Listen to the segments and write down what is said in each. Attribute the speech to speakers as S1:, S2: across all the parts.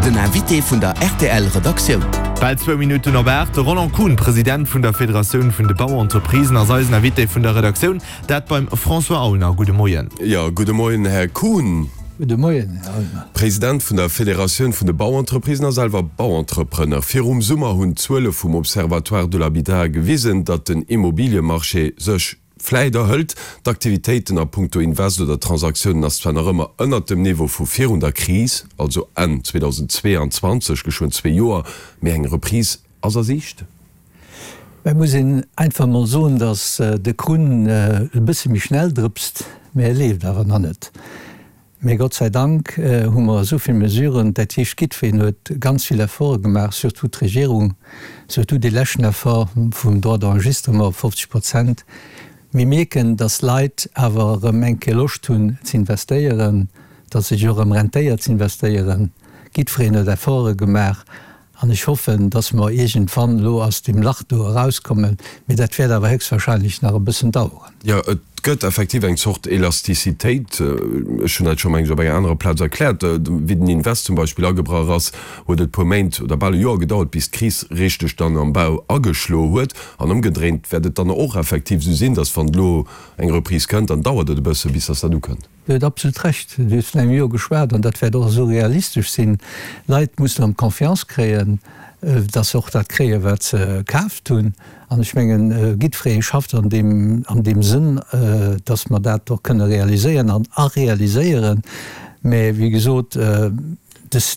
S1: Den Invité vun der rtl Redaktioun.
S2: Bal zwou Minutten op 8, De Roland Kuhn, President vun der Federatioun vun de Bauentreprisen, ass eisen Invité vun der Redaktioun. Dat beim François Aulner. Gudde Moien.
S3: Jo, gudde Moien, Här Kuhn.
S4: Gudde Moien, Här Aulner.
S3: President vun der Federatioun vun de Bauentreprisen a selwer Bauentrepreneur. Virum Summer hunn d'Zuele vum Observatoire de l'habitat gewisen, datt den Immobiliemarché sech vläit erhëlt. D'Aktivitéiten a punkto Invest oder Transaktiounen ass zwar nach ëmmer ënnert dem Niveau vu virun der Kris, also Enn 2022, geschwënn zwee Joer, mee eng Reprise ass a Siicht.
S4: Et muss een einfach emol soen, datt de Krunn e bësse méi schnell drëpst, mä e leeft awer nach net. Mä Gott sei Dank hu mer esou vill Mesuren, dat heescht, jiddwereen huet ganz vill Efforte gemaach, surtout d'Regierung, surtout dee leschten Effort vum Droit d'enregistrement op 50 Prozent. Mir mierken, datt d'Leit awer erëm eng Kéier Loscht hunn z'investéieren, datt sech och erëm rentéiert z'investéieren. Jiddwereen huet Efforte gemaach An ech hoffen, dass mer iergendwann elo aus deem Lach do erauskommen, mee dat wäert awer héchstwahrscheinlech nach e bëssen daueren.
S3: Jo, et gëtt effektiv eng Zort Elastizitéit. Ech hunn dat scho, meng ech, op enger anerer Plaz erkläert. Wéi den Invest zum Beispill agebrach ass, huet et e puer Méint oder bal e Joer gedauert, bis d'Kris richteg dann am Bau ageschlo huet. An ëmgedréint wäert et dann och effektiv esou sinn, dass wann elo eng Reprise kënnt, dann dauert et e bësse bis dass dat ukënnt.
S4: Dir hutt absolut Recht. Dir hutt vun engem Joer geschwat an dat wäert och esou realistesch sinn. D'Leit mussen erëm Confiance kréien, dass se och dat kréien, wat se kaaft hunn. An ech mengen, jiddweree schafft an deem, an deem Sënn, dass mer dat och kënne realiséieren an a realiséieren. Mä wéi gesot, dës,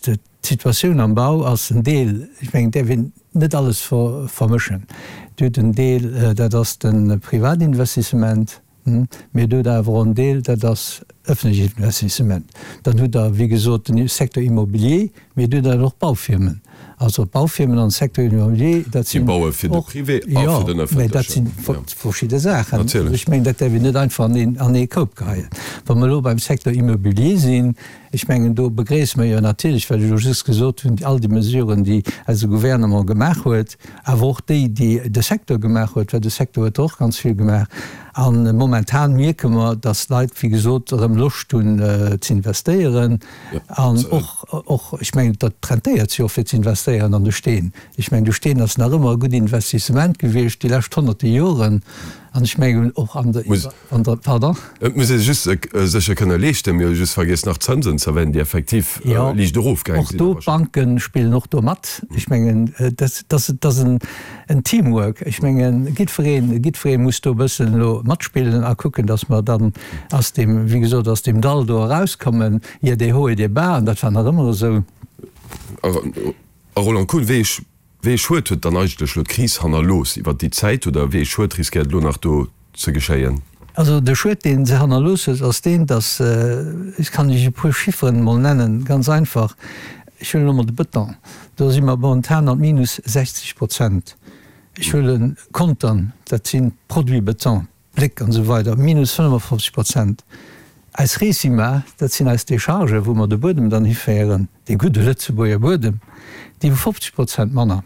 S4: d'Situatioun am Bau ass en Deel, ech mengen, et däerf een net alles vermëschen. Dir hutt en Deel, dat ass de Privatinvestissement, Mee et huet awer och en Deel, dat ass ëffentlech Investissement. Dann hutt Der, wéi gesot, den Secteur immobilier, mee et hutt awer och Baufirmen. Also d'Baufirmen an de Secteur immobilier, dat
S3: sinn och. Déi baue fir de Privé a fir den
S4: Ëffentlechen. Jo, mee dat si verschidde Saachen. Natierlech. Ech mengen, dat däerf een net einfach an een, an ee Koup geheien. Wa mer elo beim Secteur immobilier sinn, ech mengen, do begréisse mer jo natierlech, wat ech elo just gesot hunn, all déi Mesuren, déi eise Gouvernement gemaach huet, awer och déi, déi de Secteur gemaach huet, well de Secteur huet der och ganz vill gemaach. A momentan mierke mer, dass d'Leit, wéi gesot, erëm Loscht hunn z'investéieren. An och, och, ech mengen, dat rentéiert sech och fir z'investéieren an de Steen. Ech mengen, de Steen ass nach ëmmer e gutt Investissement gewiescht déi lescht honnerte Joren. An ech mengen och an der. An der, pardon?
S3: Et muss ee just sech e kënne leeschten. Mir hu just vergiess nach d'Zënsen ze erwänen, déi effektiv liicht erofgaange
S4: sinn. Och do, d'Banke spillen och do mat. Ech mengen, dat ass en Teamwork. Ech mengen, jiddweree, jiddweree muss do e bëssen elo matspillen a kucken, datt mer dann aus deem, wéi gesot, aus deem Dall do erauskommen. Il y a des hauts et des bas, an dat war nach ëmmer esou.
S3: A Roland Kuhn, wéi ech Wéi ee Schued huet dann eigentlech elo d'Kris hannerlooss iwwert déi Zäit oder wéi ee Schued riskéiert elo nach do ze geschéien?
S4: Also de Schued, dee se hannerlooss huet, ass deen, datt, ech kann Iech e puer Chifferen emol nennen, ganz einfach, ech huelen elo mol de Bëton, do si mer momentan an minus 60 Prozent. Ech huele Contern, dat sinn d'Produits Bëton, Bléck an esou weider, minus 55 Prozent. Eis Recima, dat sinn eis Déchargen, wou mer de Buedem dann hiféieren, dee gudde Lëtzebuerger Buedem, déi hu 50 Prozent manner.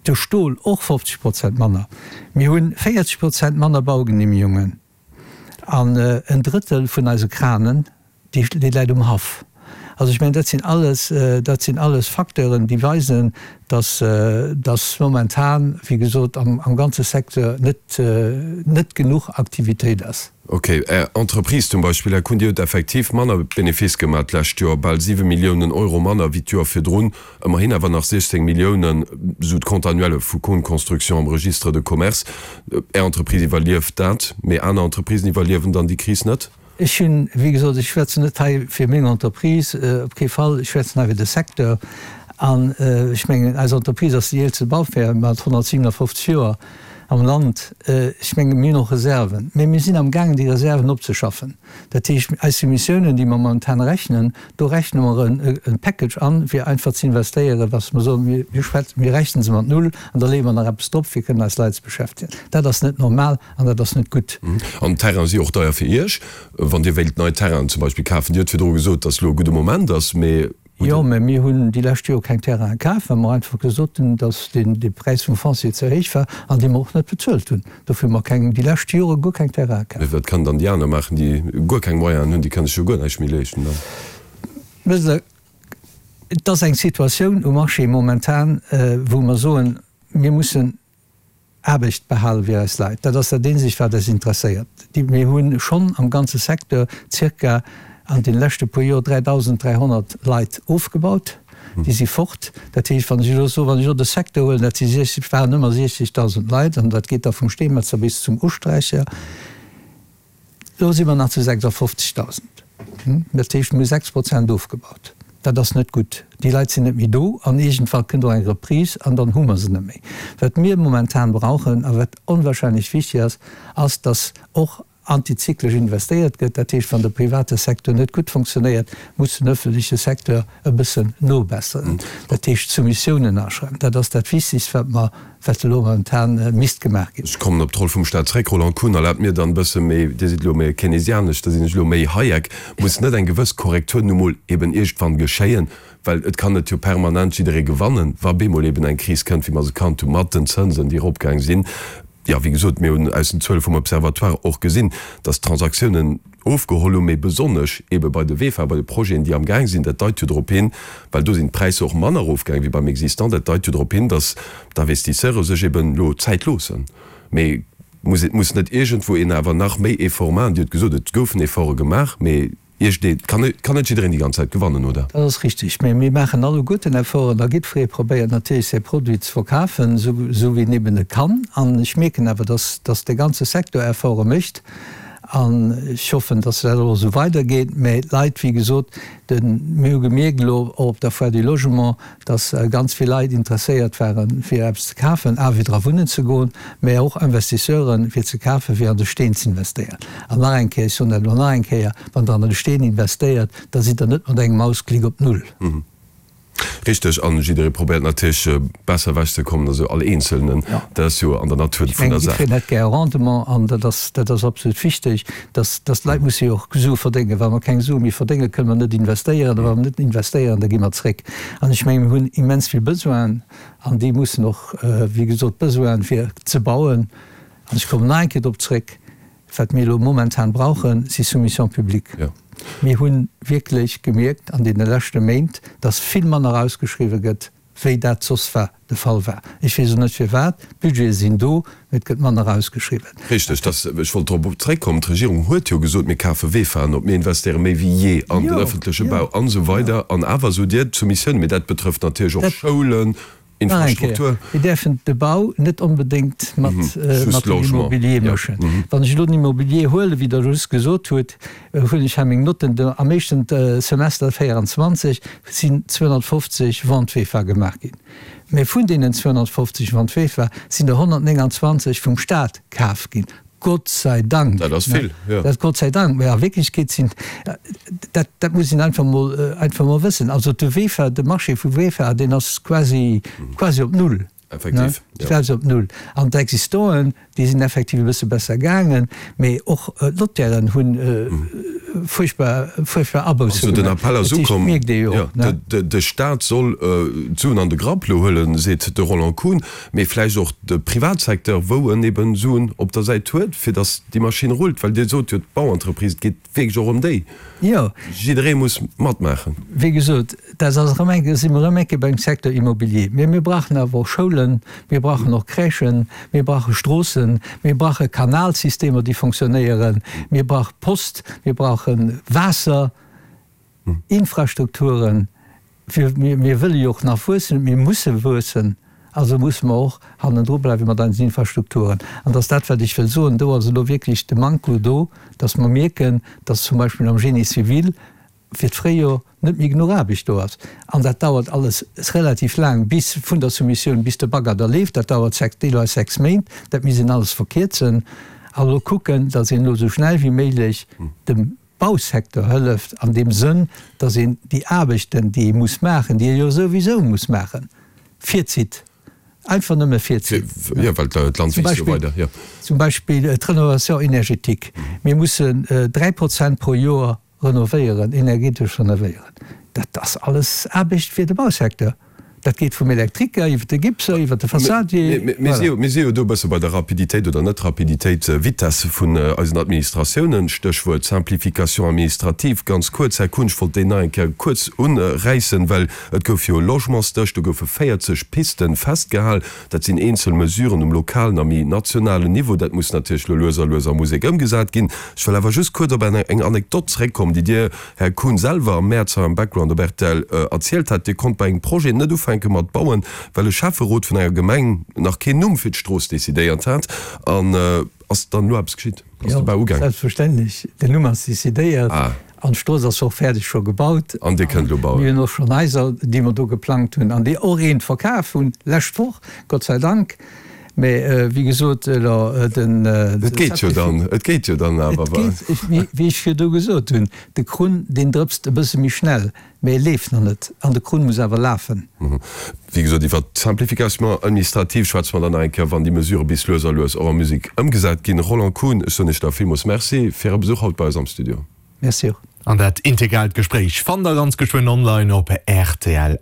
S4: De Stol och 50 Prozent manner. Mir hu 40 Prozent manner Baugenehmigungen an en Drëttel vun eise Kranen, Déi läit um Haff. Also ech mengen, dat sinn alles, dat sinn alles Facteuren, déi weisen, dass, dass momentan, wéi gesot, am, am ganze Secteur net, net genuch Aktivitéit ass.
S3: Ok. Är Entreprise zum Beispill, Här Kuhn, Dir hutt effektiv manner Benefice gemaach d'lescht Joer, bal 7 Milliounen Euro manner wéi d'Joer virdrun, ëmmerhin awer nach 16 Milliounen, esou d'Compte annuelle vu Kuhn Construction am Registre de commerce. Är Entreprise iwwerlieft dat, mee aner Entreprisen iwwerliewen dann déi Kris net?
S4: Ech hunn, wéi gesot, ech schwätzen net hei fir meng Entreprise, op kee Fall, ech schwätzen hei fir de Secteur. An ech mengen, eis Entreprise ass déi eelste Baufirma mat 157 Joer am Land. Ech mengen, mir hunn och Reserven, mä mir sinn amgaangen, déi Reserven opzeschaffen. Dat heescht, eis Soumissiounen, déi mer momentan rechnen, do rechne mer e Package an, fir einfach ze investéieren, was mer soen, mir schwätzen, mir rechne se mat null an da leeë mer nach eppes drop, fir kënnen eis Leit ze beschäftegen. Dat ass net normal. An dat ass net gutt.
S3: An d'Terrainen si och deier fir Iech, wann Dir wéilt nei Terrainen zum Beispill kafen. Dir hutt virdru gesot, datt elo e gudde Moment ass, mee
S4: hutt Jo, mä mir hunn déi lescht Joer keng Terrainen kaf, well mer einfach gesot hunn, datt dee Präis vum Foncier ze héich war an dee mer och net bezuelt hunn. Dofir hu mer keng, déi lescht Jore guer keng Terrainen kaf.
S3: Mee wat kënnen dann déi aner maachen, déi guer keng Moyenen hunn? Déi kënne sech jo guer näischt méi leeschten dann.
S4: Wësst Der. Et ass eng Situatioun um Marché momentan, wou mer soen, mir mussen Aarbecht behale fir eis Leit. Dat ass dat eenzegt, wat eis interesséiert. Mir hu schonn am ganze Secteur zirka an deene leschte puer Joer 3.300 Leit ofgebaut. Déi si fort. Dat heescht, wann ech elo soen, wann ech elo de Secteur huelen, dat si 60, waren ëmmer 60.000 Leit, an dat geet da vum Steemetzer bis zum Usträicher, Elo si mer nach zu 56.000. Dat heescht, mir hu 6 Prozent ofgebaut. Dat ass net gutt. Déi Leit sinn net méi do an iergendwann kënnt och eng Reprise an dann hu mer se net méi. Wat mir momentan brauchen a wat onwahrscheinlech wichtig ass, ass, dass och antizyklesch investéiert gëtt. Dat heescht, wann de private Secteur net gutt funktionéiert, muss den öffentleche Secteur e bëssen nobesseren. Dat heescht, Soumissiounen aschreiwen. Dat ass dat Wichtigst, wat mer wat elo momentan misst gemaach ginn.
S3: Ech kommen op d'Roll vum Staat zréck, Roland Kuhn. Erlaabt mir dann e bësse méi, Dir sidd elo méi keynesianesch, da sinn ech elo méi Hayek, muss net eng gewëss Korrektur nu mol eben iergendwann geschéien, well et kann net jo permanent jidderee gewannen, wa bemol eben eng Kris kënnt, wéi mer se kannt hu mat den Zënsen, déi eropgaang sinn. Jo, wéi gesot, mir hunn aus den Zuele vum Observatoire och gesinn, dass d'Transaktiounen ofgeholl hunn, mee besonnesch eebe bei de VEFA, bei de Projeten, déi amgaang sinn. Dat deit jo drop hin, well do sinn d'Präisser och manner erofgaang wéi beim Existant, dat deit jo drop hin, dass d'Investisseure sech eeben elo Zäit loossen. Mee muss et muss net iergendwou een awer nach méi Effort maachen? Dir hutt gesot, et goufen Efforte gemaach, mee iergendee kann et kann net jiddereen déi ganz Zäit gewannen, oder?
S4: Dat ass richtig. Mee mir maachen alleguerten Efforten a jiddweree probéiert natierlech säi Produit ze verkafen, esou wéi en eben et kann. An ech mierken awer, dass dass de ganze Secteur Efforte mécht. An ech hoffen, dass dat och esou weidergeet. Mä d'Leit, wéi gesot, de, mir hu gemierkt elo och op der Foire du Logement, dass ganz vill Leit interesséiert waren, fir eppes ze kafen a fir dra wunnen ze goen, mä och Investisseuren, fir ze kafen, fir an de Steen ze investéieren. An nach eng Kéier, ech soen dat elo nach eng Kéier, Wann Der an de Steen investéiert, da sidd Der net mat engem Mausklick op Null.
S3: Richteg, an jidderee probéiert natierlech besser ewech ze kommen, also all Eenzelnen, dat ass jo an der Natur
S4: vun der Saach. Ech mengen, jiddereen hätt gär e Rendement an dat ass, dat ass absolut wichteg, dass, dass d'Leit musse jo och Sue verdéngen. Wa mer keng Sue méi verdéngen, kënne mer net investéieren, a wa mer net investéieren, da gi mer zréck. An ech mengen, mir hunn immens vill Besoinen an déi mussen och, wéi gesot, d'Besoinen fir ze bauen, an ech kommen nach eng Kéier drop zréck, Wat mir elo momentan brauchen, si Soumissions publiques. Mir hu wierklech gemierkt an deene leschte Méint, dass vill manner ausgeschriwwen gëtt, wéi dat soss war de Fall war. Ech weess och net firwat. D'Budgete sinn do, mee et gëtt manner ausgeschriwwen.
S3: Richteg, dass, ech wollt drop zréckkommen, d'Regierung huet jo gesot, mir kafe Vefaen op, mir investéiere méi wéi jee an den öffentleche Bau an esou weider. An awer sot Dir, d'Soumissiounen, mee dat betrëfft natierlech och Schoulen,
S4: Nach eng Kéier, mir däerfen de Bau net onbedéngt mat dem Immobilier mëschen. Wann ech elo den Immobilier huelen, wéi Der just gesot hutt, huelen ech hei meng Notten, am éischten Semester 24 sinn 250 Ventes VEFA gemaach ginn. Mä vun deenen 250 Ventes VEFA sinn der 129 vum Stat kaf ginn. Gott sei Dank!
S3: Dat ass vill, jo.
S4: Dat Gott sei Dank. Mä a Wierklechkeet sinn, dat, dat muss een einfach mol, einfach mol wëssen. Also de VEFA, de Marché vu VEFA, deen ass quasi, quasi op Null.
S3: Effektiv,
S4: jo. Quasi op Null. An d'Existanten, déi sinn effektiv e bësse besser gaangen, mä och d'Notairen hunn fuerchtbar, fuerchtbar Abousse
S3: gemaach. Also den Appell ass ukomm, jo, de Staat soll d'Suen an de Grapp elo huelen, seet de Roland Kuhn. Mee vläicht och de Privatsecteur, wou en eben Suen op der Säit huet, fir datt déi Maschinn rullt. Well Dir sot jo, d'Bauentreprise, et geet wierklech och ëm déi.
S4: Jo.
S3: Jidderee muss matmaachen.
S4: Wéi gesot, dat ass erëm eng, si mer erëm eng Kéier beim Secteur immobilier. Mee mir brauchen awer och Schoulen, mir brauchen och Crèchen, mir brauche Stroossen, mir brauche Kanalsystemer, déi fonctionnéieren, mir brauche Post, mir brauche Waasser. Infrastrukturen, mir wëlle jo och nach wuessen, mir musse wuessen, also musse mer och hannendru bleiwe mat eisen Infrastrukturen. An dat ass dat, wat ech wëll soen, do ass elo wierklech de Manko do, dass mer mierken, dass zum Beispill am Génie civil fir d'Fréijor net méi genuch Aarbecht do ass. An dat dauert alles relativ laang, bis vun der Soumissioun bis de Bagger da leeft, dat dauert deelweis 6 Méint. Dat misst een alles verkierzen a elo kucken, dass een elo esou schnell wéi méiglech dem Bausecteur hëlleft an deem Sënn, dass een déi Aarbechten, déi ee muss maachen, déi ee jo souwisou muss maachen, virzitt, einfach nëmme virzitt.
S3: Jo, well d'Land wiisst jo weider, jo.
S4: Zum Beispill d'Rénovation énergétique. Mir mussen 3 Prozent pro Joer renovéieren, energetesch renovéieren. Dat ass alles Aarbecht fir de Bausecteur. Dat geet vum Elektriker iwwer de Gipser, iwwer de Fassadier.
S3: Voilà. Mir si jo do e bësse bei der Rapiditéit oder Net-Rapiditéit, Vitesse vun eisen Administratiounen, Stéchwuert Simplification administrative. Ganz kuerz, Här Kuhn, ech wollt déi nach eng Kéier kuerz uräissen, well et gouf jo e Logementsdësch, do goufe 40 Pisten festgehal. Dat sinn eenzel Mesuren um lokalen a méi nationalen Niveau. Dat muss natierlech elo lues a lues a Musek ëmgesat ginn. Ech wëll awer just kuerz op eng Anekdot zeréckkommen, déi Dir, Här Kuhn, selwer am Mäerz hei am Background op rtl erzielt hat. Dir konnt bei engem Projet net ufänke mat bauen, well e Schäfferot vun enger Gemeng nach keen Numm fir d'Strooss decidéiert hat. An ass dann elo eppes geschitt? Ass de Bau ugaangen?
S4: Jo, selbstverständlech. Den Numm ass decidéiert an d'Strooss ass och fäerdeg scho gebaut.
S3: An Dir kënnt elo bauen?
S4: Mir hunn och schonn Haiser, déi mer do geplangt hunn an déi och eent verkaf hunn, lescht Woch, Gott sei Dank. Mä wéi gesot, elo den.
S3: Et geet jo dann, et geet jo dann awer.
S4: Et geet, wéi ech virdu gesot hunn, de Krunn, deen drëpst e bësse méi schnell. Mee e leeft nach net an de Krunn muss awer lafen.
S3: Wéi gesot, iwwert d'Simplification administrative schwätze mer dann nach eng Kéier, wann déi Mesurë bis lues a lues och a Musek ëmgesat ginn. Roland Kuhn, ech soen Iech da villmools Merci fir Äre Besuch haut bei eis am Studio.
S4: Merci och.
S2: An dat integralt Gespréich fannt der ganz geschwënn online op rtl.